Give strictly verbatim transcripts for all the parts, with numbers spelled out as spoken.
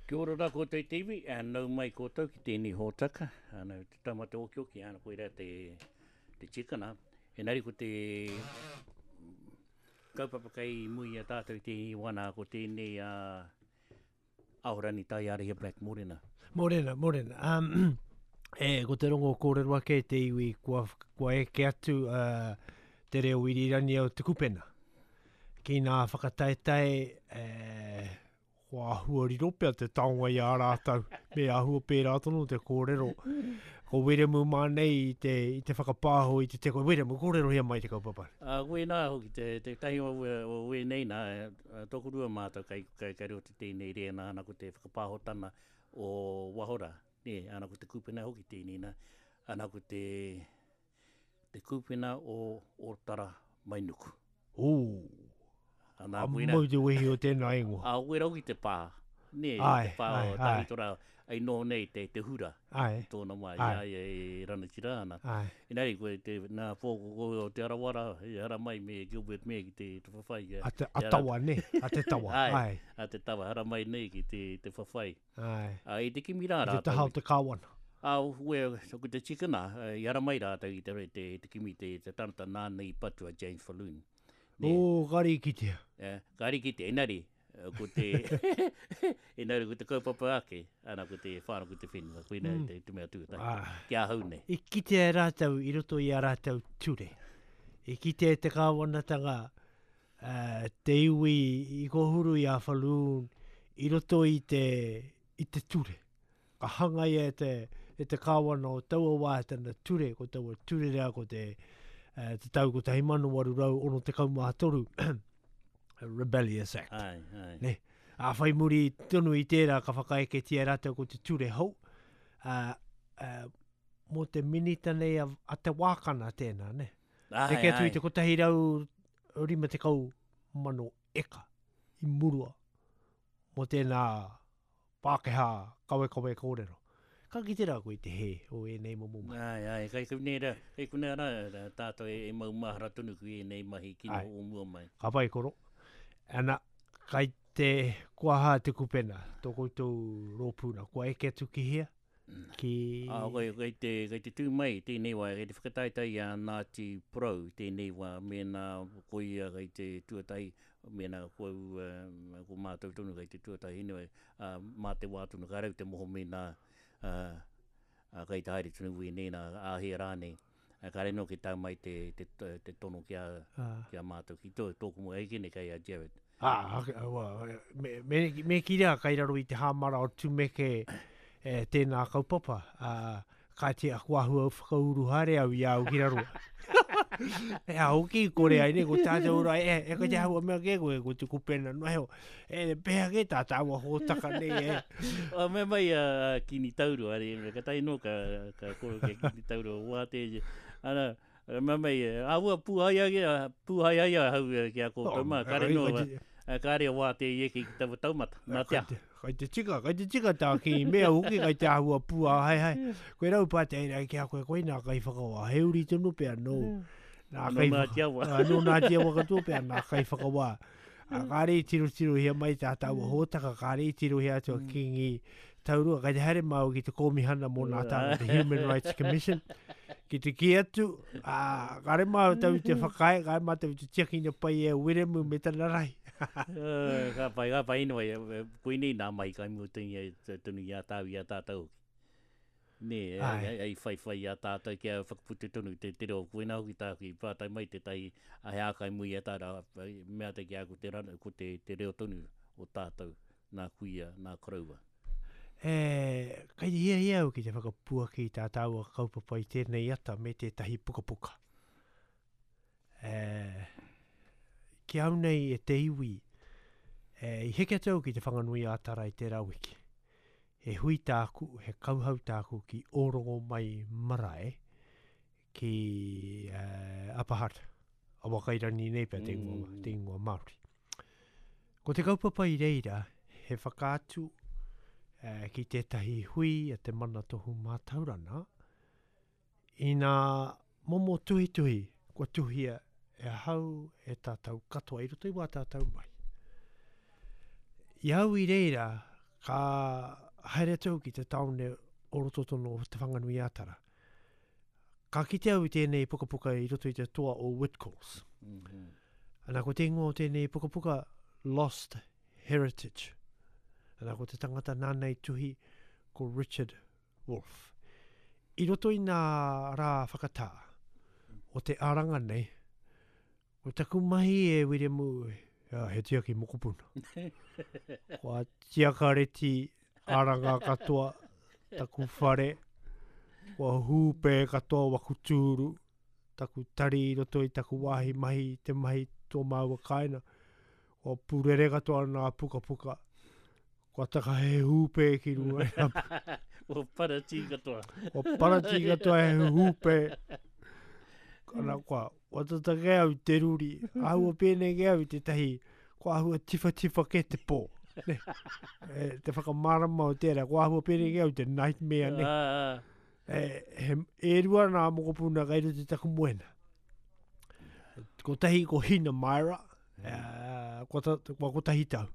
Kia ora rā koutou te iwi, a nau mai koutou ki tēnei hōtaka, ana te taumata okioki, ana koirā te, te tikana. Engari ko te kaupapa kei mui i a tātou i tēnei wā nā, ko tēnei a Ahorangi Taiarahia Black Morena. Morena, morena. Um, e, ko te rongo kōrero ake te iwi kua, kua eke atu uh, te reo irirangi o Te Kupena. Ki ngā whakataetae, eh, kua āhua riro pea te taonga i a rātou, me āhua pērā tonu te kōrero. Ko Wiremu mā nei i te, i te whakapāho i te teko. Wiremu, kōrerohia mai te kaupapa. A, koe nā hoki, te, te tahi o, o wēnei nā, tokorua mātou kai, kai, kai roto tēnei rēna ana ko te whakapāhotana o Wahora. Nē, ana ko te Kupena hoki tēnei nā, ana ko te, te Kupena o Ōtara Mainuku. Ū, Ana, a koe rā, mau te wehi o tēnā ingoa. A koe rau ki te pā, nē, Ai, te pā ai, o ai. Tahitora, ai noho nei te, te hura, Ai, i tōna wā, ai. i a ia e ranatira ana. Ai. Engari koe te, nā pōkoko o Te Arawara, i hara mai me Gilbert Mair ki te, te whawhai. A te, a I a tawa, nē, a te tawa, Ai, ai. a te tawa, hara mai nei ki te, te whawhai. Ai. A, i te kimi rā I te rātou. taha o te kāwana. A, ue, ko te tikana, i hara mai rātou i te, te, te kimi te, te tangata nāna i patu a James Falloon. Nē. O, kare i kitea. Eh, kare i kitea, engari, ko te, engari ko te kaupapa ake, ana ko te whānau ko te whenua, koina Mm. te, te mea tuatahi, Ah. ki ahau nei. I kitea e rātou i roto i a rātou ture. I kitea e te kāwanatanga, eh, te iwi i kōhuru i a Falloon i roto i te, i te ture. Ka hangaia e te, e te kāwana o taua wā tana ture, ko taua ture rea ko te, eh, te tau kotahi mano waru rau ono tekau mā toru, Rebellious Act. Ai, ai. Ne? A whai muri tonu i tērā ka whakaeketia e rātou ko te ture hou. A, a, mō te minita nei a, a te Wākana tēnā, ne? Ai, Neke atu i ai. te kotahi rau rima tekau mano eka i murua mō tēnā Pākehā kawekawe kōrero. Ka kite rā koe i te hē o ēnei momo mahi. Ai, ai, kai konei rā, kai konei rā, rā, tātou e, e mau mahara tonu ki ēnei mahi kino Ai. o mua mai. Ka pai koro. Ana, kai te kua hā te kupena, tō koutou rōpūna, kua eke atu ki hea? Ki... Ah, kai, kai te, kai te tū mai tēnei wā, kai te whakataetae i a Ngāti Porou tēnei wā, mēnā ko ia kai te tuatahi, mēnā ko au, eh, ko mātou tonu kai te tuatahi, anyway, ah, mā te wā tonu, ka rau te moho mēnā, ah, ah, kai te haere tonu wēnei nā, āhea rānei. Ah, kāre nō ki tau mai te, te, te tono ki a, Ah. ki a mātou, ki tō, tōku moe, ai kene kai a Jared. Ah, ok, wa, me, me, me ki rea kai raro i te hāmara o Tumeke, eh, tēnā kaupapa. Ah, ka te aku ahua whakauru haere au i au ki raro. E a hoki kore ai ne, ko tātou ora, e, e ko te hau mea ke koe, ko te kupena no heo. E, pēhea ke tā tāua hōtaka nei, e. O, me mai a, a Kini Tauro, are, me ka tai no ka, ka koro ke Kini Tauro, wā te, ana, me mai, a ua pūhai ai, a, pūhai ai a hau ki a koutou mā, Oh, kare kai- no, kai te- a, kare wā te i eke ki taua taumata, nā te Kai aha. te, kai te tika, kai te tika tā ki mea hoki, kai te āhua pū a hai hai. Koe rau pātai rei ki a koe, koe nā kai whakawā, he uri tonu pea nō. Nā Nō kai Ngāti Awa. Ah, nō Ngāti Awa katoa pea, nā kai whakawā. Ah, kāre i tirotirohia mai tā tāua hōtaka, kāre i tirohia atu a Kingi Taurua, kai te haere māu ki te kōmihana mō nā tāna, the Human Rights Commission, ki te kī atu, ah, kāre māu tau i te whakae, kāre mātou i te tiakina pai e Wiremu me tana rahi. Eh, ka pai, ka pai anyway, eh, koinei nā mai kai mua tonu i a, tonu i a tāu, i a tātou hoki. Nē, eh, Ai. ai, ai whai whai i a tātou kia whakaputa tonu te te reo. Koinā hoki tāku i pātai mai te tai a he ākai mui a tāra, mea te ki a ko te rana, ko te, te reo tonu o tātou, nā kuia, nā koroua. E, kai te hiahia au ki te whakapuaki i tā tāua kaupapa i tēnei ata me tētahi pukapuka. E, ki au nei e te iwi, e, i heke atu au ki te Whanganui ā-Tara i tērā wiki. He hui tāku, he kauhau tāku ki Ōrongomai Marae, ki, eh, Upper Hutt, Awakairangi nei pea te ingoa, Mm. te ingoa Māori. Ko te kaupapa i reira, he whakaatu, eh, ki tētahi hui a te Mana Tohu Mātauranga, i nā momo tuhituhi kua tuhia e ahau e tātou katoa i roto i wā tātou mai. I au i reira, Ka haere atu au ki te taone o roto tonu o Te Whanganui-a-Tara. Ka kite au i tēnei pukapuka i roto i te toa o Whitcoulls. Mm -hmm. Ana ko te ingoa o tēnei pukapuka, Lost Heritage. Ana ko te tangata nāna i tuhi ko Richard Wolfe. I roto i nā rā whakatā o te aranga nei, ko taku mahi e Wiremu, ia, he tiaki mokopuna. Kua tiakareti aranga katoa, taku whare, kua hūpē katoa waku tūru, taku tari i roto i taku wāhi mahi, te mahi tō māua kāinga, kua pūrere katoa nā pukapuka, kua taka he hūpē ki runga i ngā Kua paratī katoa. Kua paratī katoa he hūpē. Ana, kua, kua tata kē au te ruri. Āhua pēnei kē au i tētahi, kua āhua tiwhatiwha kē te pō. Ne? E, te whakamārama o tērā, kua āhua pēnei kē au te nightmare, ne? Ah, ah. E, he, e rua nā mokopuna kai roto i taku moena. Kotahi ko Hina Myra, e, kua, ta, kua kotahi tau.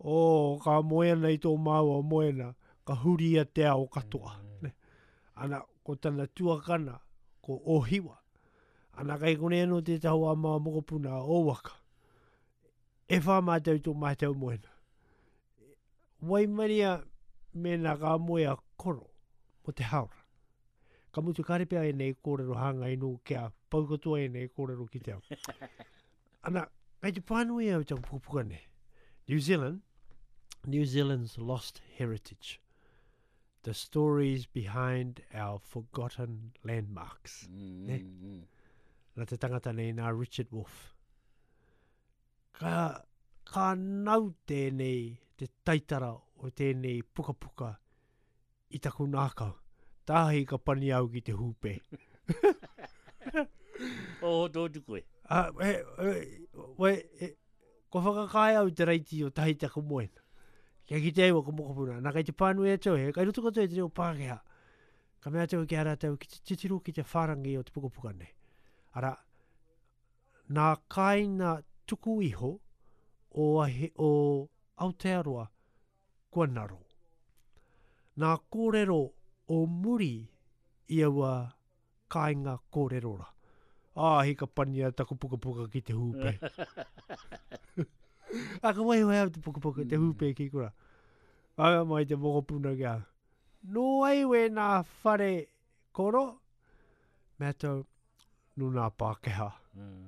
O, ka moe ana i tō māua moena, ka huria te ao katoa. Ne? Ana, ko tana tuakana, ko Ohiwa. Ana kai konei anō tētahi o ā māua mokopuna, o Waka. E whā mātou tō mātou moena. Waimaria mēnā ka moe a Koro mo te haora. Ka mutu kāre pea ēnei kōrero hāngai nō kia pau katoa ēnei kōrero ki te ao. Ana, kai te pānui au taku pukapuka nei. New Zealand, New Zealand's Lost Heritage. The Stories Behind Our Forgotten Landmarks. Mm, Ne? mm, mm. Nā te tangata nei, nā Richard Wolfe. Ka, ka nau tēnei, te taitara o tēnei pukapuka i taku nākau. Tāhi ka pani au ki te hūpē. O, tō tu koe. Ah, e, e, we, e, kua whakakae au te raiti o tahi taku moena. Kia kite ai waka mokopuna. Nā kai te pānui atu, he kai roto katoa i te reo Pākehā. Ka mea atu ki a rātou, ki te titiro ki te whārangi o te pukapuka nei. Ara, nā kāinga tuku iho o, ahe, o Aotearoa kua naro. Nā kōrero o muri i aua kāinga kōrero rā. Ā, hika pania taku pukapuka ki te hūpē. A, ka waiho au te pukapuka, te hūpē ki kura. Ai mai te mokopuna ki au. Nō ai we nā whare koro? Mea tau, nō nā Pākehā. Mm.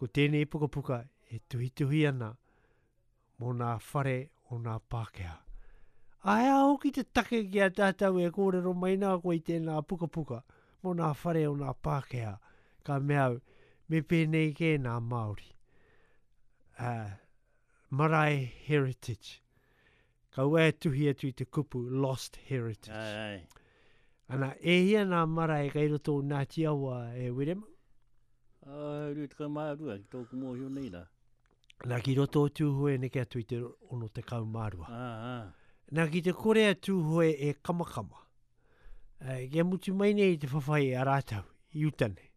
Ko tēnei pukapuka e tuhituhi ana mō nā whare o nā Pākehā. A hea hoki te take ki a tātou e kōrero mai nā koe i tēnā pukapuka mō nā whare o nā Pākehā. Ka mea au, me pēnei kē nā Māori. Uh, Marae Heritage. Ka ua e tuhi atu i te kupu Lost Heritage. Ai, ai. Ana, e hia nā marae kai roto o Ngāti Awa e Wiremu? Ah, rua tekau mā rua, ki tōku mōhio nei rā. Nā ki roto o Tūhoe neke atu i te ono tekau mā rua. Ah, ah. Nā ki te kore a Tūhoe e kamakama. Eh, kia mutu mai nei te whawhai a rātou, i uta nei.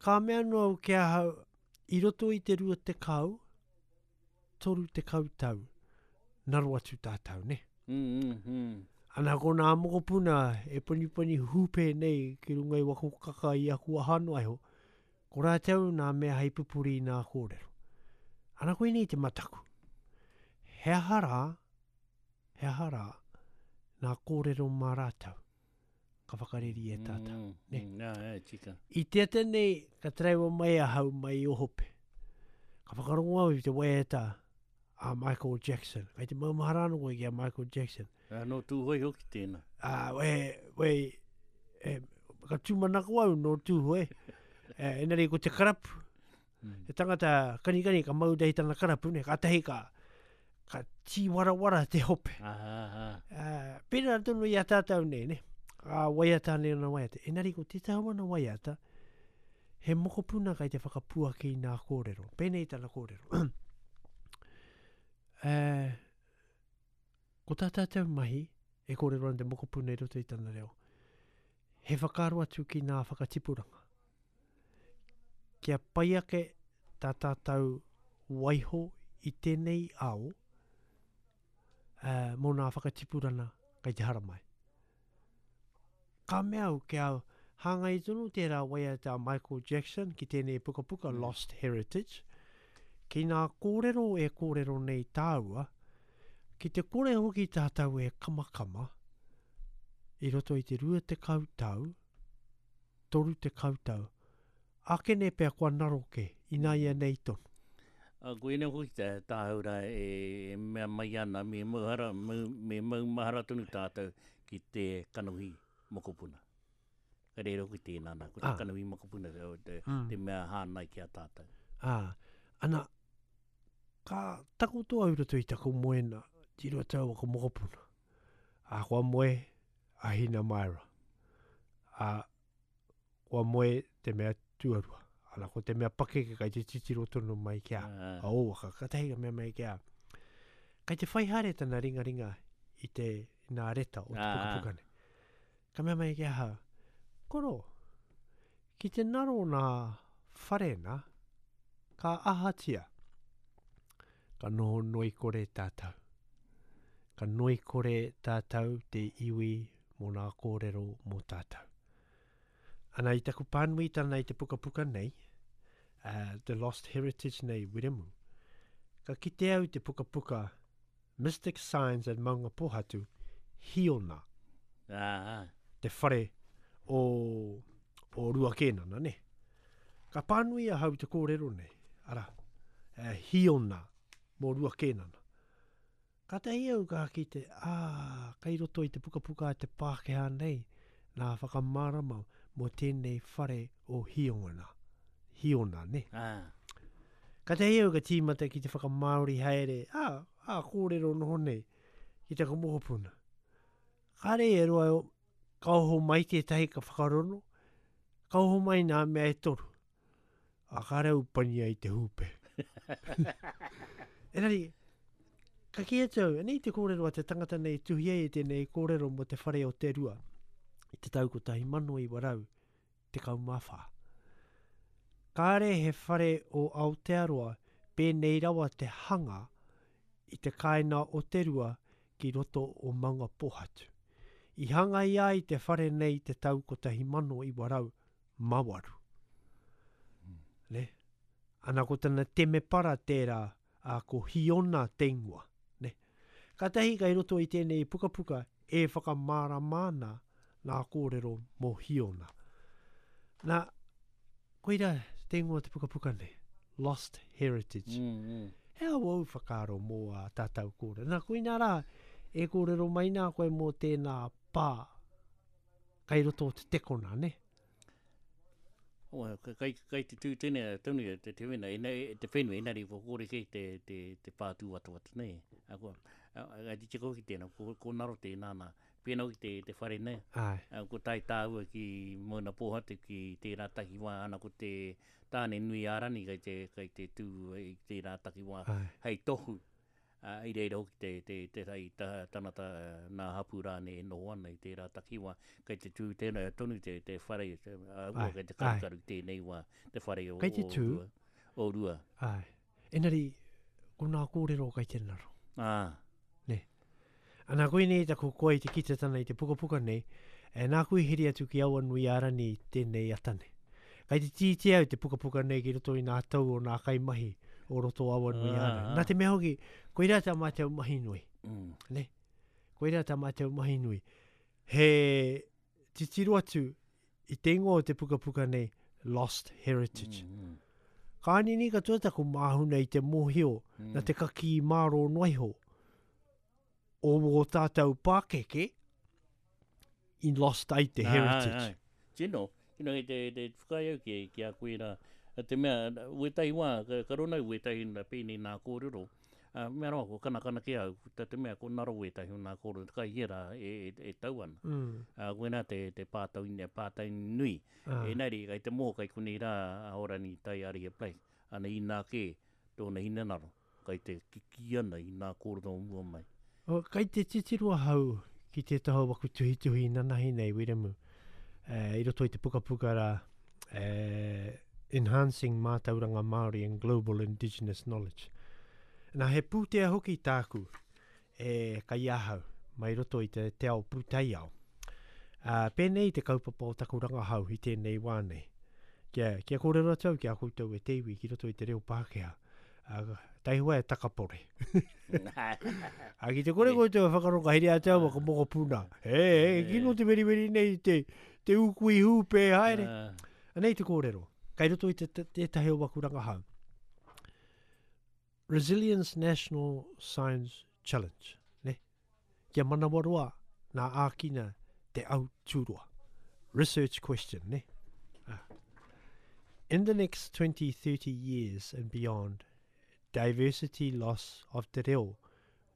Ka mea noa au ki ahau, i roto i te rua tekau, toru tekau tau, naro atu tātou, ne? Mm, mm, mm. Ana ko nā mokopuna e panipani hūpē nei ki runga i waku kaka i aku aha noa iho, ko rātou nā mea hei pupuri i nā kōrero. Ana koe nei te mataku. He aha rā, he aha rā, nā kōrero mā rātou, ka whakareri e tātou. Mm, ne? mm, nā, e, tika. I te ata nei, ka taraiwa mai ahau mai o Hope. Ka whakarongo au i te waiata a Michael Jackson. Kai te maumahara anō koe ki a Michael Jackson. Ah, nō Tūhoe hoki tēnā. Ah, we, we, e, ka tūmanako au nō Tūhoe. E, engari ko te karapu. Mm. Te tangata kanikani ka mau dei tana karapu, ne, ka tahi ka, ka tīwarawara te hope. Ah, ah, ah. Uh, pērā tonu i a tātou nei, ne? A waiata nei ona waiata. Engari ko tētahi wana waiata, he mokopuna kai te whakapuaki i nā kōrero. Pēnei tana kōrero. uh, ko tā tātou mahi, e kōrero ana te mokopuna i roto i tana reo, he whakaaro atu ki nā whakatipuranga. Kia pai ake tā tātou waiho i tēnei ao, uh, mō nā whakatipurana kei te haramai. Ka mea au kia hāngai tonu tērā waiata a Michael Jackson ki tēnei pukapuka Mm. Lost Heritage, ki nā kōrero e kōrero nei tāua, ki te kore hoki tātou e kamakama, i roto i te rua tekau tau, toru tekau tau, ākene pea kua naroke, inā ia nei tonu. A koe nei hoki tā tāhau rā e, e mea mai ana, me mauhara, me, me maumahara tonu tātou ki te kanohi mokopuna. Ka reira hoki tēnā nā, ko te Ah. kanohi mokopuna te, te, Mm. te mea hānai ki a tātou. Ah, ana, ka takoto au roto i taku moena, tiro tau ako mokopuna. A kua moe a Hina Maera. A kua moe te mea tuarua. Ana ko te mea pakeke kai te titiro tonu mai ki a, Ah. a ōwaka. Ka tahi ka mea mai ki a. Kai te whai haere tana ringaringa i te nā reta o te Ah. pukapuka nei. Ka mea mai ki ahau, koro, ki te naro nā whare nā, ka ahatia. Ka noho noi kore tātou. Ka noi kore tātou te iwi mō nā kōrero mō tātou. Ana i taku pānuitana i te pukapuka nei, uh, The Lost Heritage nei, Wiremu, ka kite au te pukapuka Mystic Signs at Maungapōhatu, Hiona, Ah, ah. te whare o, o Rua Kēnana, ne? Ka pānui ahau te kōrero nei, ara, eh, Hiona mō Rua Kēnana. Ka tahi au ka kite, ā, kai roto i te pukapuka a te Pākehā nei, nā whakamārama mō tēnei whare o Hiona. Hiona, ne? Ah. Ka tahi au ka tīmata ki te whakamāori haere, ā, ā, kōrero noho nei, ki taku mokopuna. Kāre e roa, ka oho mai tētahi ka whakarono, ka oho mai nā mea e toru. A kāre au pania i te hūpe. Engari, ka kī atu au, anei te kōrero a te tangata nei tuhi ai e tēnei kōrero mō te whare o te rua, i te tau kotahi mano iwa rau, tekau mā whā. Kāre he whare o Aotearoa pēnei rawa te hanga i te kāina o te rua ki roto o Maungapōhatu. I hanga ia i te whare nei te tau kotahi mano iwa rau mawaru. Ne? Ana ko tana temepara tērā, a ko Hiona te ingoa. Ne? Kātahi kai roto i tēnei pukapuka e whakamārama ana nā kōrero mō Hiona. Nā, koira te ingoa te pukapuka nei, Lost Heritage. Mm, mm. He au au whakaaro mō a tātou kōrero. Nā, koina rā, e kōrero mai nā koe mō tēnā pā kai roto o te tekona, ne? O, ka- kai, kai te tū tēnei, tonu te, te wena, ina, te whenua, inari, ko kore kei te, te, te pātū watawata nei. A, ko, a, a, te tiko ki tēnā, ko, ko naro tēnā nā, pēnā ki te, te whare nei. Ai. A, ko tai tāua ki Maungapōhatu ki tērā takiwā, ana ko te tāne nui ārani kai te, kai te tū i tērā takiwā Ai. hei tohu. A, i reira hoki te, te, te, te, ta, tanata nā hapu rāne e noho ana i tērā takiwā. Kai te tū tēnā tonu te, te whare, te, a, ua, Ai, kai te ai. karukaru tēnei wā, te whare o, Kai te o tū. Rua. O Rua. Ai. Engari, ko nā kōrero kai te naro. Ah. Ana koe nei taku koe i te kitetana i te pukapuka nei, e nā kui hiri atu ki awa nui ārani i tēnei atane. Kai te tīti au te pukapuka nei ki roto i nā tau o nā kaimahi o roto awa nui Ah, ārani. ah. Nā te mea hoki, koirā tā mātou mahi nui. Mm. Ne? Koirā tā mātou mahi nui. He titiro atu i te ingoa o te pukapuka nei, Lost Heritage. Mm, mm. Ka nini katoa taku māhuna i te mōhio, Mm. na te kaki māro noiho o wō tātou pākeke i lost ai te Ah, heritage. ai, ai. Tino, tino i te, te whakae au ki, ki a koe rā. A te mea, wētahi wā, ka, ka rona wētahi nā pēnei nā kōrero. Uh, mea rawa, ko kanakana ki au, ta te mea, ko naro wētahi o nā kōrero, kai hera e, e, e tau ana. Mm. Uh, koe te, te pātau, pātau nui. Ah. Engari, kai te mō, kai konei rā, a Horani tai arihe play. Ana i nā kē, tōna hinengaro, kai te kiki ana i nā kōrero o mua mai. O, kai te titiro ahau ki tētahi o waku tuhituhi nanahi nei, Wiremu, eh, i roto i te pukapuka rā, eh, Enhancing Mātauranga Māori and Global Indigenous Knowledge. Nā, he pūtea hoki tāku e kai ahau, mai roto i te, te ao pūtaiao. Uh, pēnei te kaupapa o taku rangahau i tēnei wā nei. Kia, kia kōrero atu au ki a koutou e te iwi ki roto i te reo Pākehā. Uh, taihua e takapore. A ki te kore koutou e whakaronga here atu au ka mokopuna. E, e, kino te weriweri nei te, te ūkui hūpē haere. Anei te kōrero. Kai roto i te, te, tētahi o waku rangahau. Resilience National Science Challenge. Ne? Kia manawaroa nā ākina te au tūroa. Research question, ne? Ah. In the next twenty, thirty years and beyond, diversity loss of te reo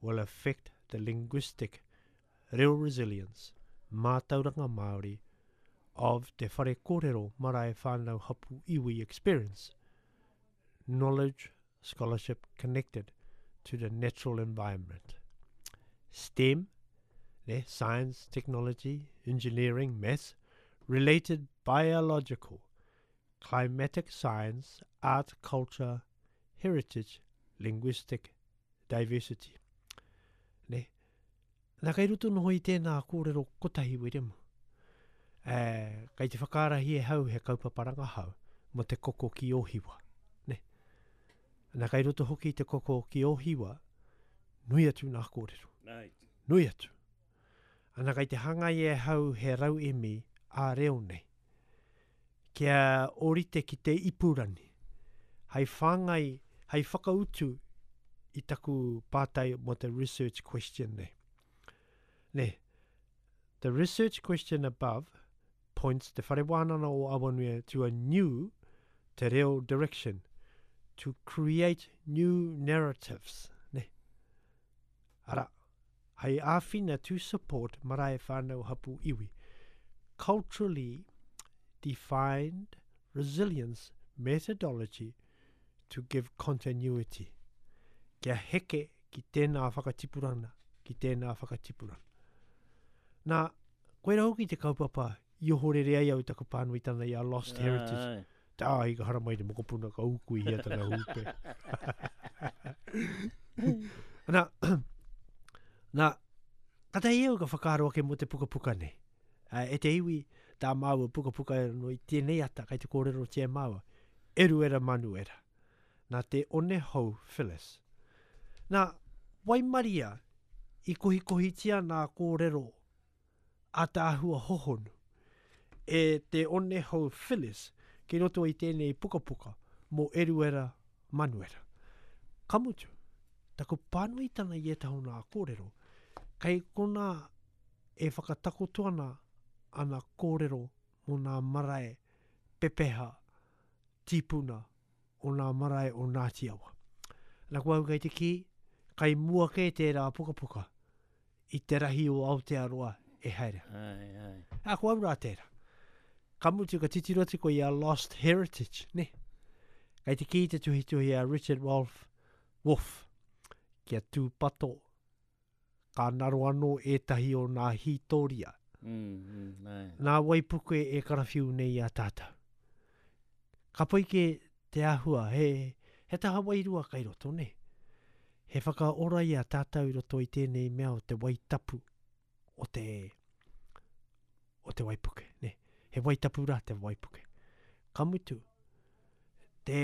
will affect the linguistic reo resilience, mātauranga Māori, of te whare kōrero marae whānau hapu iwi experience, knowledge, scholarship connected to the natural environment. STEM, ne, science, technology, engineering, maths, related biological, climatic science, art, culture, heritage, linguistic diversity. Ne? Nā kai roto noho i tēnā kōrero kotahi Wiremu. E, kai te whakaarahi e hau he kaupapa rangahau mo te koko ki Ōhiwa. Ne? Nā kai roto hoki te koko ki Ōhiwa, nui atu nā kōrero. Right. Nui atu. Ana kai te hangai e hau he rau emi a reo nei. Kia orite ki te ipurani. Hei whāngai, hei whakautu i taku pātai mo te research question nei. Ne, the research question above points te whare wānanga o Awanui to a new te reo direction to create new narratives. Ne. Ara, hei āwhina to support marae whānau hapu iwi. Culturally defined resilience methodology to give continuity. Kia heke ki tēnā whakatipurana, ki tēnā whakatipurana. Nā, koera hoki te kaupapa i ohorere ai au taku pānuitana i a Lost Heritage. Tā, i ka haramai te mokopuna ka ūkui hia tana hūpe. Nā, nā, katahi au ka whakaaro ake mō te pukapuka nei. E te iwi, tā māua pukapuka no i tēnei ata, kai te kōrero tia māua. Eruera Manuera. Nā te one hou Phyllis. Nā, waimaria i kohikohitia nā kōrero a tāhua hohonu e te one hou Phyllis ki roto i tēnei pukapuka mō Eruera Manuera. Ka mutu, taku pānuitana i ētahi o nā kōrero, kei konā e whakatakoto ana ana kōrero mō nā marae pepeha tīpuna o nā marae o Ngāti Awa. Nā ko au kei te kī, kai mua kē tērā pukapuka i te rahi o Aotearoa e haere. Ai, ai. A ko au rā tērā. Ka mutu ka titiro atu koe i a Lost Heritage, ne? Kei te kī te tuhituhi a Richard Wolf, Wolf, kia tūpato, ka naro anō ētahi o nā hītoria. Mm, mm, ai. Nā waipuke e karawhiu nei a tātou. Ka pai ke te āhua, he, he taha wairua kai roto, ne? He whakaora i a tātou i roto i tēnei mea o te waitapu o te, o te waipuke, ne? He waitapu rā te waipuke. Ka mutu, te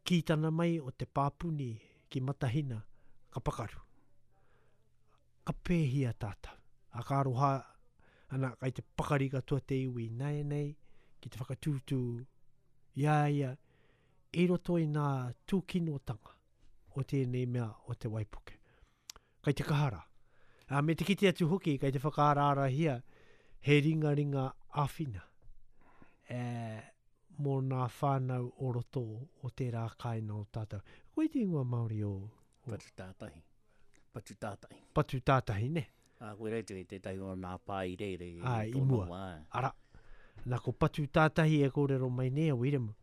kītana mai o te pāpuni ki Matahina, ka pakaru. Ka pēhia tātou. A ka aroha, ana, kai te pakari katoa te iwi nei nei, ki te whakatūtū i a ia, i roto i nā tūkinotanga o tēnei mea o te waipuke. Kai te kahara. A, me te kite atu hoki, kai te whakaaraarahia he ringaringa āwhina e, mō nā whānau o roto o tērā kāinga o tātou. Koe te ingoa Māori o... o... Patu tātahi. Patu tātahi. Patu tātahi, ne? A, koe rei te tētahi o nā pā i reire. A, i mua. Wā. Ara, nā ko Patu tātahi e kōrero mai nei a Wiremu.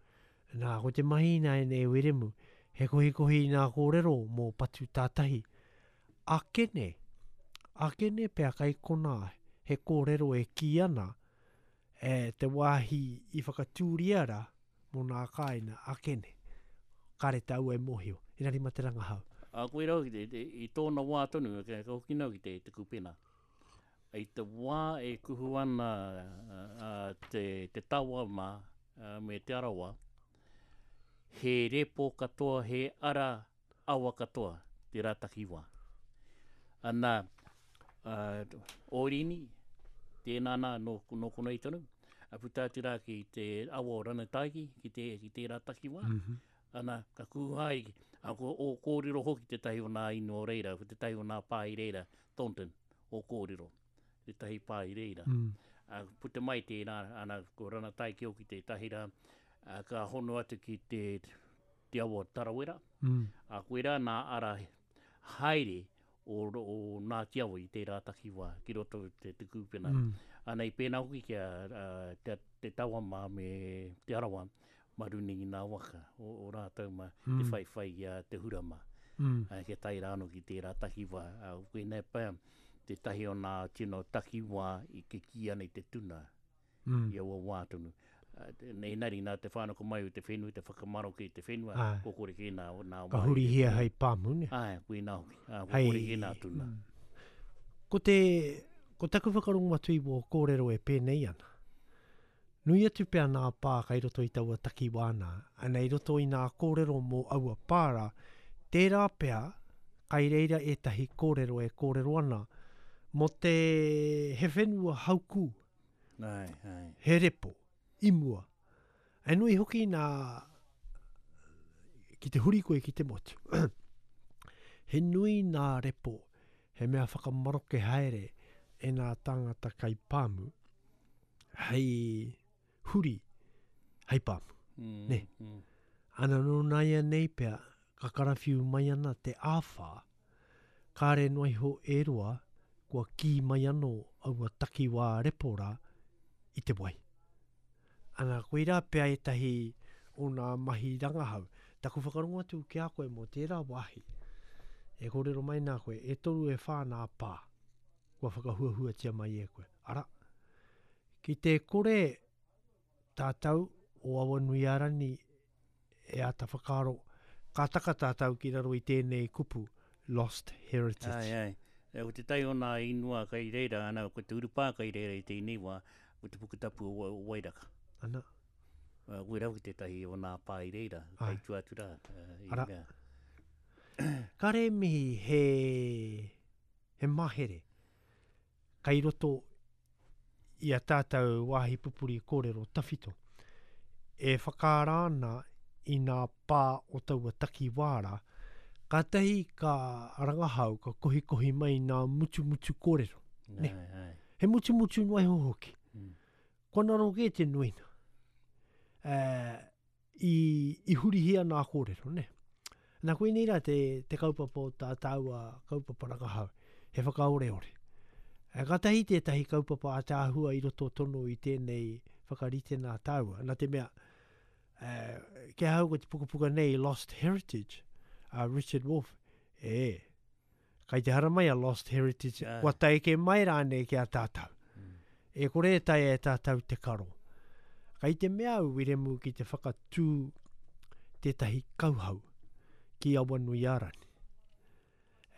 Nā, ko te mahi nā e nei Wiremu, he kohikohi nā kōrero mō Patu tātahi. Akene, akene pea kai konā, he kōrero e kī ana, e te wāhi i whakatūria rā mō nā kāina akene. Kāre tāua e mōhio, inari ma te rangahau. A koe rau ki te, te, i tōna wā tonu, ka ka hoki nau ki te, te kupena. I te wā e kuhu ana a, te, te tawa mā a, me te arawa, he repo katoa, he ara awa katoa, te rā takiwā. Ana, uh, Orini, tēnā nā no, no konei tonu, a puta atu rā ki te awa o Ranataiki, ki, te, ki tērā takiwā. Mm -hmm. Ana, ka kuhai, a ko o kōrero hoki te tahi o nā ino o reira, ko te tahi o nā pā i reira, Thornton, o kōrero, te tahi pā i reira. Mm. A, puta mai tērā, ana, ko Ranataiki hoki te tahi rā, a, ka hono atu ki te, te awa o Tarawera, Mm. a koe rā nā ara haere o, o Ngāti Awa i tērā takiwā ki roto te, te kūpena. Mm. Ana i pēnā hoki kia uh, te, te tawa mā me te arawa maruni i nā waka o, o rātou mā Mm. te whaiwhai i a te hura mā. Mm. Uh, kia tae rāno ki tērā takiwā. Uh, koinei pea te tahi o nā tino takiwā i ke ki ana i te tuna Mm. i aua wā tonu. Uh, nei nari nā te whānako mai o te whenua, te whakamaroke i te whenua, Ai. ko kore kē nā, nā Ka wā i hurihia hei pāmu, ne? Ai, koe nā hoki. Ah, ko Hei- kore kē nā tuna. Mm. Ko te, ko taku whakarongo atu i wō kōrero e pēnei ana. Nui atu pea nā pā kai roto i taua takiwā nā, ana i roto i nā kōrero mō aua pāra, tērā pea kai reira ētahi kōrero e kōrero ana mō te he whenua haukū, Ai, ai. he repo, i mua. E nui hoki nā, ki te huri koe ki te motu. He nui nā repo, he mea whakamaroke haere e nā tāngata kai pāmu, hei huri, hei pāmu. Mm, Ne. mm. Ana nō nāia nei pea, ka karawhiu mai ana te āwhā, kāre noa iho e roa, kua kī mai anō aua takiwā repo rā i te wai. Ana, koirā pea ētahi o nā mahi rangahau. Taku whakarongo atu ki a koe mō tērā wāhi. E kōrero mai nā koe, e toru e whā nā pā, kua whakahuahuatia mai e koe. Ara, ki te kore tātou o Awanuiārani e āta whakaaro, ka taka tātou ki raro i tēnei kupu, Lost Heritage. Ai, ai. E, ko te tai o nā inua kai reira, ana, ko te urupā kai reira i tēnei wā, ko te pukutapu o, o Wairaka. Ana, Uh, koe rau ki te tahi o nā pā i reira, Ai. kai tua atu rā. Uh, i Ara. mea. Kare mihi he, he mahere kai roto i a tātou wāhi pupuri kōrero tawhito e whakaara ana i nā pā o taua takiwā rā, kātahi ka rangahau, ka kohikohi mai nā mutumutu kōrero. Ne. Ai, ai. He mutumutu noa iho hoki. Mm. Kua naro kē te nuina. Eh, i, i hurihia nā kōrero, ne? Nā koinei rā te, te kaupapa o tā tāua kaupapa rangahau, he whakaoreore. E, kātahi tētahi kaupapa ātaahua i roto tonu i tēnei whakarite nā tāua. Nā te mea, eh, kia hau ko te pukapuka nei Lost Heritage, a Richard Wolff, e, kai te haramai a Lost Heritage, Ai. kua taeke mai rānei ki a tātou. Mm. E kore e taea e tātou te karo. Kai te mea au Wiremu ki te whakatū tētahi kauhau ki Awanuiārani.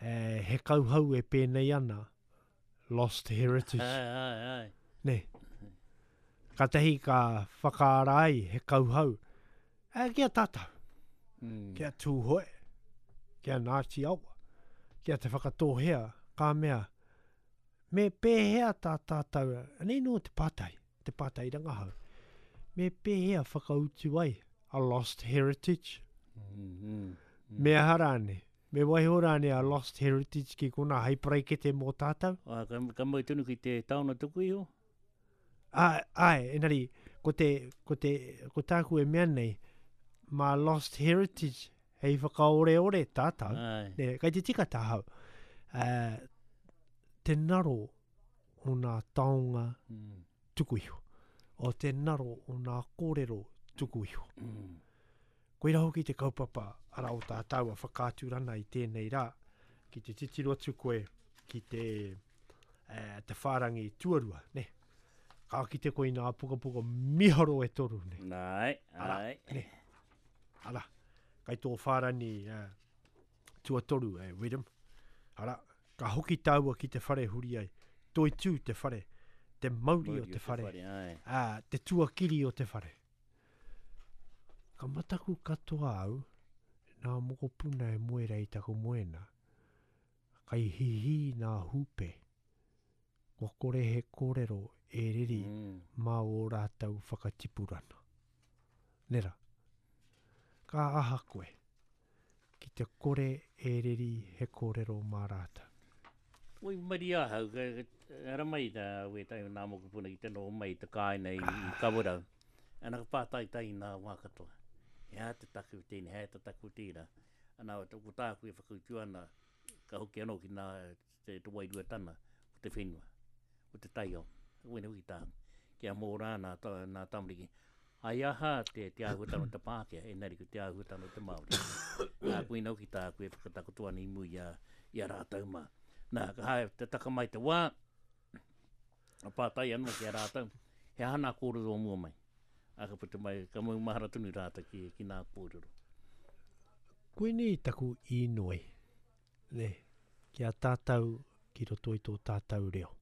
E, he kauhau e pēnei ana Lost Heritage. Ai, ai, ai. Ne. Kātahi ka whakaara ai he kauhau. E, kia tātou, Mm. kia Tūhoe, kia Ngāti Awa, kia te whakatōhea, ka mea, me pēhea tā tātou, anei nō te pātai, te pātai rangahau, me pēhea whakautu ai a Lost Heritage, Mm, mm. me aha rāne, me waiho rāne a Lost Heritage ki kona hei paraikete mō tātou. Ah, ka, ka mau tonu ki te taona tuku iho? Ai, ai, engari, ko te, ko te, ko tāku e mea nei, mā Lost Heritage hei whakaoreore tātou, Ai. ne, kai te tika tāhau, uh, te naro o nā taonga Mm. tuku iho, o te naro o nā kōrero tuku iho. Mm. Koira hoki te kaupapa ara o tā tāua whakaaturana i tēnei rā, ki te titiro atu koe ki te, eh, te whārangi tuarua, ne? Ka kite koe i nā pukapuka miharo e toru, ne? Nai, Ara, ai. ne? Ara, kai tō whārani eh, Tuatoru e Wiremu. Ara, ka hoki tāua ki te whare huri ai. Toitū te whare, te mauri o te whare, ā, te tuakiri o te whare. Ka mataku katoa au, nā mokopuna e moe rei taku moena, kai hihi nā hūpe, kua kore he kōrero e riri mm. mā o rātou whakatipurana. Nera, ka aha koe, ki te kore e riri he kōrero mā rātou. Oi maria ahau, ara mai tā wētai o nā mokopuna ki te noho mai te kāina i, i Kawerau. Ana ka pātaitai nā wā katoa. He aha te taku tēnei, he aha te taku tērā. Ana ko tāku e whakautu ana, ka hoki anō ki nā te, te wairuatana, ko te whenua, ko te taiao. Wena hoki tāku. Kia mōrā nā, tā, nā tamariki. Ai aha te, te āhuatanga o te Pākehā, engari ko te āhuatanga o te Māori. Nā, koina hoki tāku e whakatakoto ana i mua i a, i a rātou mā. Nā, ka hae te taka mai te wā, a pātai anō ki a rātou, he aha nā kōrero o mua mai. A ka puta mai, ka maumahara tonu rātou ki, ki nā kōrero. Koinei taku īnoi, ne, ki a tātou ki roto i tō tātou reo.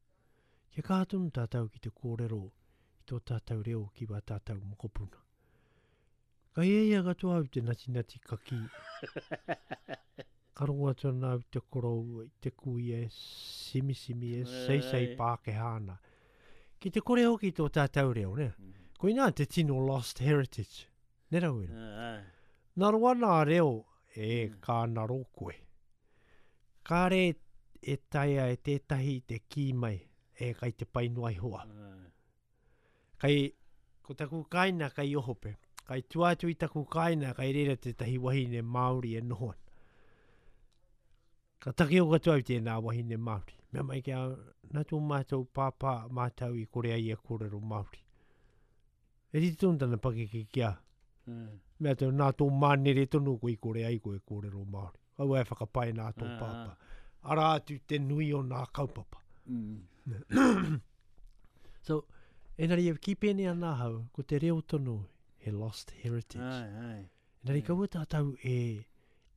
Kia kaha tonu tātou ki te kōrero i tō tātou reo ki wā tātou mokopuna. Ka hiahia katoa au te natinati kaki. Ka rongo atu ana au te koroua i te kuia e simisimi e seisei Pākehā ana. Ki te kore hoki tō tātou reo, ne? Koinā te tino lost heritage. Ne Rawiri? Nā roa nā reo e ka naro koe. Kāre e taea e tētahi te kī mai e kai te pai noa iho au. Kai, ko taku kāina kai Ohope. Kai tua atu i taku kāina kai reira tētahi wahine Māori e noho ana. Ka takeo katoa au tēnā wahine Māori. Mea mai kia nā tō mātou pāpā mātou i kore ai e kōrero Māori. E rite tonu tana pakeke ki a. Mm. Mea tau, nā tō mānere tonu koe i kore ai koe kōrero Māori. Kaua e whakapae nā tō ah. pāpā. Arā atu te nui o nā kaupapa. Mm. So, engari e ki pēnei ana ahau, ko te reo tonu he lost heritage. Ai, ai. Engari kaua tātou e,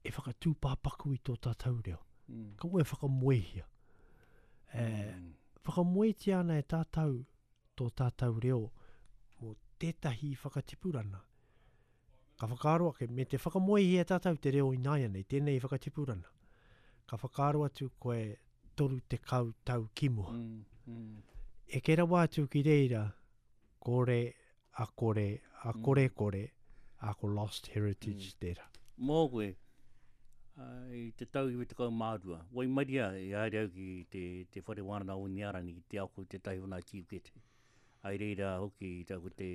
e whakatūpāpaku i tō tātou reo. Mm. Kaua e whakamoehia. E, mm. Whakamoetia ana e tātou tō tātou reo mō tētahi whakatipurana. Ka whakaaro ake, me te whakamoehia tātou te reo ināianei, tēnei whakatipurana. Ka whakaaro atu koe toru tekau tau ki mua. Mm, mm. E ke rawa atu ki reira, kore, a kore, a kore kore, a ko lost heritage mm. tērā. Mō koe, i te tau iwa tekau mā rua, waimaria i haere au ki te, te whare wānanga o Niarani ki te ako tētahi o nā tīukete. Ai reira hoki i taku te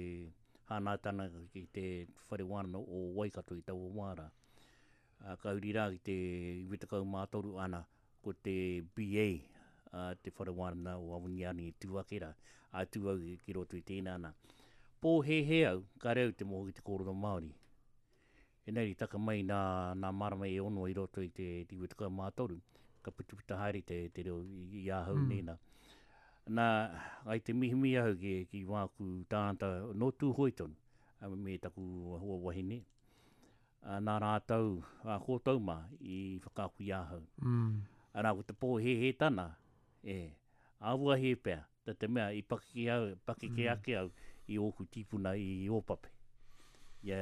hānātana ki te whare wānanga o Waikato i taua wā rā. Ka huri rā ki te iwa tekau mā toru ana ko te B A a te whare wānanga o Awaniani i tū ake rā. A tū au ki roto i tēnā ana. Pōhēhē au, ka reo te moho ki te kōrero Māori. Engari taka mai nā, nā marama e ono i roto i te iwa tekau mā toru, ka putuputa haere te, te reo i, i ahau mm. nēnā. Nā, ai te mihimihi ahau ki, ki wāku tāngata nō Tūhoe tonu, me taku hoa wahine. Nā rātou, a kōtou mā, i whakaaku i ahau. Mm. Anā, ko te pōhēhētana, e, āwahie pea, te te mea i pakeke au, pakeke mm. ake au i ōku tīpuna i Ōpape. Ia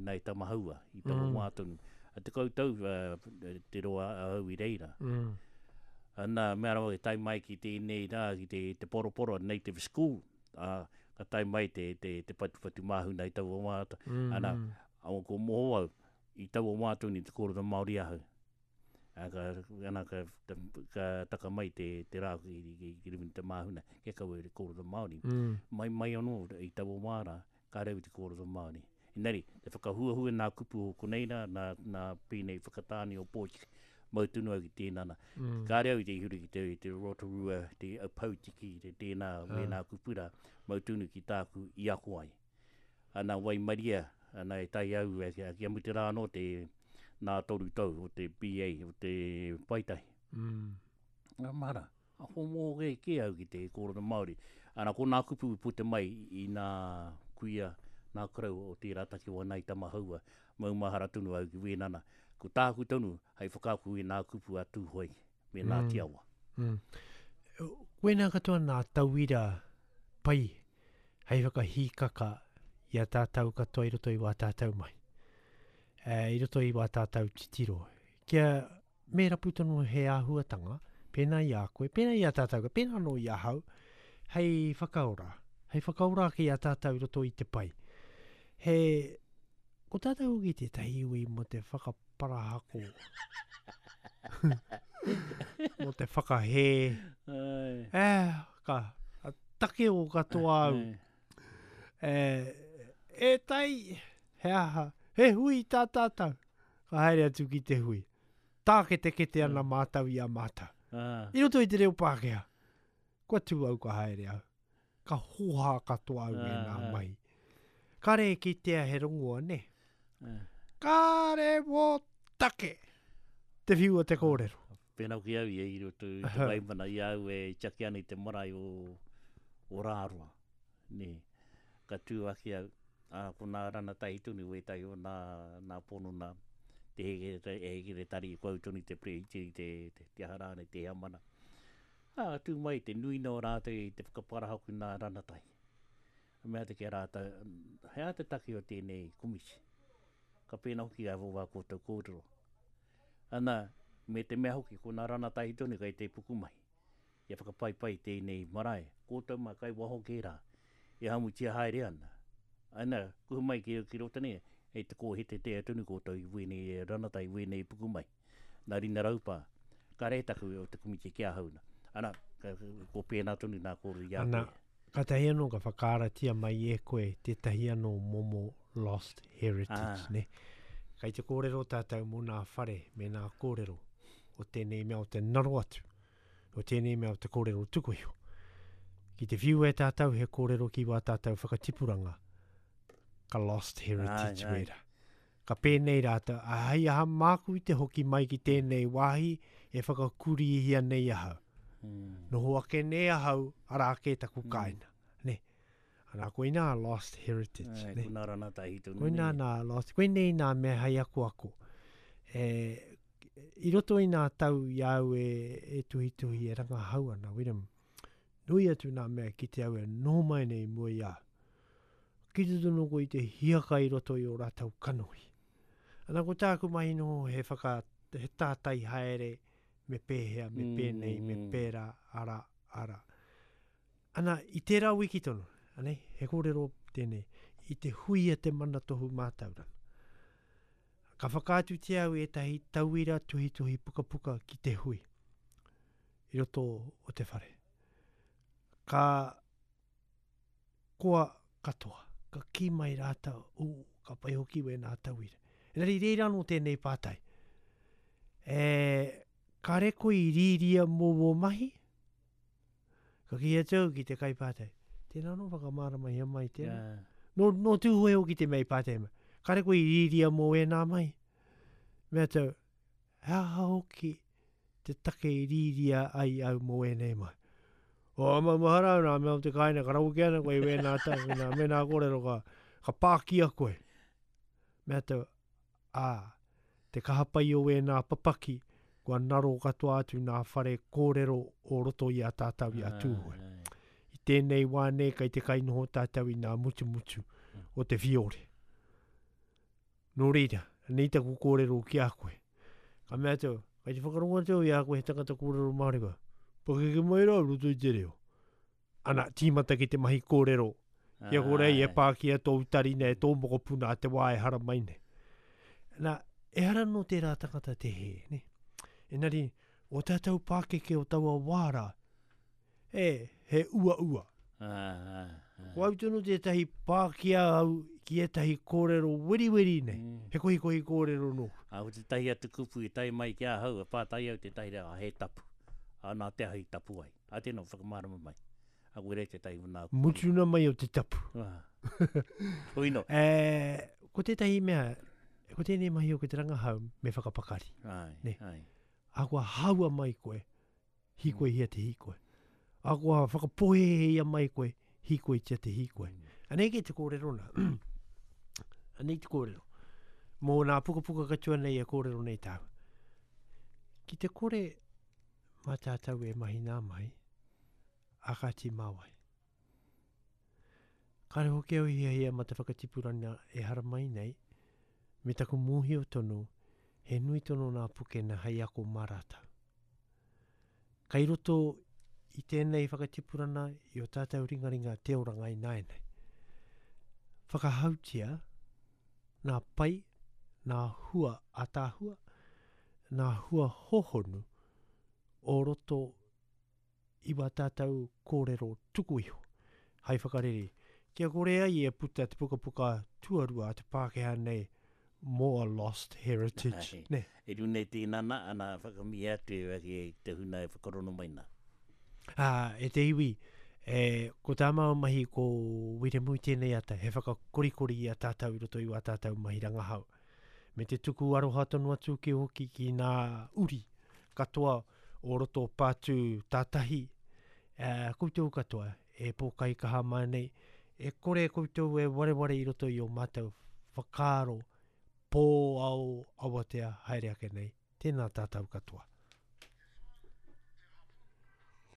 nei Tamahaua, i taua mm. wā tonu. A te koutou uh, te roa ahau i reira. Mm. Ana, mea rawa e tae mai ki tēnei rā, ki te, te poroporo Native School, uh, ka tae mai te, te, te patupatu māhuna i taua wā. Mm. Ana, awa ko moho au, i taua wā tonu i te kōrero Māori ahau. A, ka, ana, ka, ta, ka taka mai te, te rā ki, ki, ki runga i te māhuna, kia kaua te kōrero Māori. Mm. Mai mai anō i taua wā rā, ka reo te kōrero Māori. Engari, te whakahuahua nā kupu o konei rā, nā, nā pēnei whakatāne o Pōtiki, mau tonu au ki tēnā nā. Mm. Ka reo i te huri ki te, te Rotorua, te Pautiki, te tēnā, Ah. wēnā kupu rā, mau tonu ki tāku i ako ai. Ana waimaria, ana e tai au, e, kia mutu rā anō te nā toru tau o te B A, o te paetahi. Mm. Ngā mara, a homo ke ke au ki te kōrero Māori. Ana ko nā kupu i puta mai i nā kuia, nā korou o tērā takiwā nā i Tamahaua, maumahara tonu au ki wēnana. Ko tāku tonu, hei whakaaku i nā kupu a Tūhoe, me nā Mm. Tiawa. Mm. Koinā katoa nā tauira pai hei whakahīkaka i a tātou katoa i roto i wā tātou mai. E, i roto i wā tātou titiro. Kia me rapu tonu he āhuatanga, pēnā i a koe, pēnā i a tātou, pēnā anō i ahau, hei whakaora. Hei whakaora ake i a tātou i roto i te pai. He, ko tātou hoki tētahi iwi mō te whakaparahako. Mō te whakahē. Ai. Eh, ka, ka take o katoa au. Ai. E, e tai, he aha, he hui tā tātou. Ka haere atu ki te hui. Tāketekete ana mātou i a mātou. Ah. I roto i te reo Pākehā. Kua tū au ka haere au. Ka hoha katoa au e nā Ah, ah. mahi. Kare e kitea he rongoa, ne? Ah. Kare mō take! Te whiu o te kōrero. Pēnā ki au ia i roto i te waimana i au e tiaki ana i te marae o, o Rāroa. Nē. Ka tū ake au, ā, ko nā ranatahi tonu wētahi o nā, nā pono nā, te heke, e heke tari ko au tonu te prehitiri, te, te, te aha rānei, te heamana. Ā, tū mai te nuina o rātou i te whakaparahaku nā ranatahi. A mea te ki a rātou, he aha te take o tēnei komisi? Ka pēnā hoki ai wā koutou kōrero. Ana, me te mea hoki, ko nā ranatahi tonu kei te pukumahi. Ia whakapaipai tēnei marae, koutou mā kai waho kē rā, e hamutia haere ana. Ana, kuhu mai ki, ki roto nei, hei te kōhete tea tonu koutou i wēnei ranatahi, wēnei pukumahi. Nā Rina Raupā, ka re taku o te komiti ki ahau na. Ana, ka, ko pēnā tonu nā kōrero i a Ana, koe. Kātahi anō ka whakaaratia mai e koe tētahi anō momo lost heritage, Ah. ne? Kai te kōrero tātou mō nā whare me nā kōrero o tēnei mea o te naro atu, o tēnei mea o te kōrero tuku iho. Ki te whiu e tātou he kōrero ki wā tātou whakatipuranga, ka lost heritage Ai, ai. wera. Ka pēnei rātou, a hei aha māku i te hoki mai ki tēnei wāhi e whakakurihia nei ahau. Mm. Noho ake nei ahau, ara ake taku Mm. kāinga. Ne? Ana, koinā lost heritage. Ai, ne? ko nā ranatahi tonu. Koinā nei. nā lost, koinei nā mea hei ako ako. E, i roto i nā tau i au e, e tuhituhi e rangahau ana, Wiremu, nui atu nā mea ki te au e noho mai nei mua i au. Ki te tonu ko i te hiaka i roto i o rātou kanohi. Ana ko tāku mahi noho he whaka, he tātai haere me pēhea, me pēnei, me Mm. pērā, ara, ara. Ana, i tērā wiki tonu, anei, he kōrero tēnei, i te hui a te mana tohu mātauranga. Ka whakaatutia au ētahi tauira tuhituhi pukapuka ki te hui i roto o te whare. Ka koa katoa, ka kī mai rātou, ū, ka pai hoki wēnā tauira. Engari reira anō tēnei pātai. E, kare koe i rīria mō wō mahi? Ka kī atu au ki te kaipātai. Tēnā anō whakamāramahia mai tēnā. Yeah. Nō, nō tūhoe hoki te mea i pātai mai. Kare koe i rīria mō ēnā mai? Mea tau, he aha hoki te take i rīria ai au mō ēnei mai? O, ama mahara au nā mea o te kāinga, ka rawe ana koe i wēnā tau, wēnā, mēnā kōrero ka, ka pākia koe. Mea tau, ā, te kaha pai o wēnā papaki, kua naro katoa atu nā whare kōrero o roto i a tātou i a Tūhoe. Ai, ai. I tēnei wā nei kai te kainoho tātou i nā mutumutu o te whiore. Nō reira, nei taku kōrero ki a koe. Ka mea atu, kai te whakarongo atu i a koe he tangata kōrero Māori koe. Pakeke mai rā roto i te reo. Ana, tīmata ki te mahi kōrero. Kia kore ai e Ai. pākia tō utarina e tō mokopuna a te wā e hara mai nei. Nā, ehara nō tērā tangata te hē, ne? Engari, o tātou pākeke o taua wā rā, e, he uaua. Ah, ah, ah. Ko au tonu tētahi pākia au ki ētahi kōrero weriweri nei. Mm. He kohikohi kōrero nōku. A ko tētahi atu kupu i tae mai ki ahau, e pātai au tētahi reo, a he tapu. A nā te ahi tapu ai. A tēnā whakamārama mai. A koe rei tētahi o nā kupu. Mutuna mai o te tapu. Ah. Hui no. E, ko tētahi mea, ko tēnei mahi o ki te rangahau me whakapakari. Ai, Ne. ai. A kua haua mai koe, hikoi hia te hikoi. A kua whakapohehe ia mai koe, hikoi tia te hikoi. Mm. Anei ke te kōrero nā. Anei te kōrero. Mō nā pukapuka katoa nei e kōrero nei tāu. Ki te kore mā tātou e mahi nā mahi, a Kāti Māwai. Kāre hoki au i hiahia ma te whakatipurana e haramai nei, me taku mōhio tonu, he nui tonu nā pukena hei ako mā rātou. Kai roto i tēnei whakatipurana i o tātou ringaringa te oranga ināianei. Whakahautia nā pai, nā hua ataahua, nā hua hohonu o roto i wā tātou kōrero tuku iho, hai whakarere. Kia kore ai e puta te pukapuka tuarua a te Pākehā nei mō a lost heritage. Ai. Ne? E rune tēnana, ana whakamia atu e waki e te huna e whakarono mai nā. Ā, e te iwi, e, ko tā māua mahi ko Wiremu i tēnei ata, he whakakorikori i a tātou i roto i wā tātou mahi rangahau. Me te tuku aroha tonu atu ki hoki ki nā uri katoa o roto pātū tātahi, e, koutou katoa e pōkai kaha mai nei, e kore koutou e wareware i roto i o mātou whakaaro pō ao awatea haere ake nei. Tēnā tātou katoa.